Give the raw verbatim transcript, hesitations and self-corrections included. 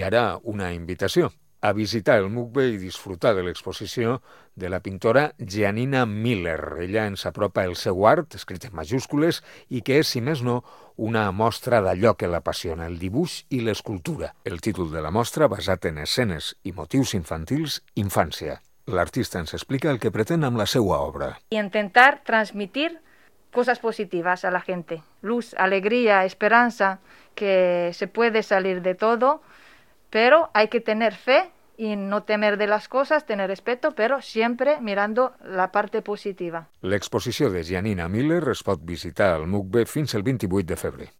I ara una invitació a visitar el MUCBE i disfrutar de l'exposició de la pintora Giannina Miller. Ella ens apropa el seu art, escrit en majúscules, i que és, si més no, una mostra d'allò que l'apassiona, el dibuix i l'escultura. El títol de la mostra, basat en escenes i motius infantils, Infància. L'artista ens explica el que pretén amb la seva obra. Y intentar transmitir cosas positivas a la gente. Luz, alegría, esperanza, que se puede salir de todo, pero hay que tener fe y no temer de las cosas, tener respeto, pero siempre mirando la parte positiva. L'exposició de Giannina Miller es pot visitar al MUCBE fins el vint-i-vuit de febrer.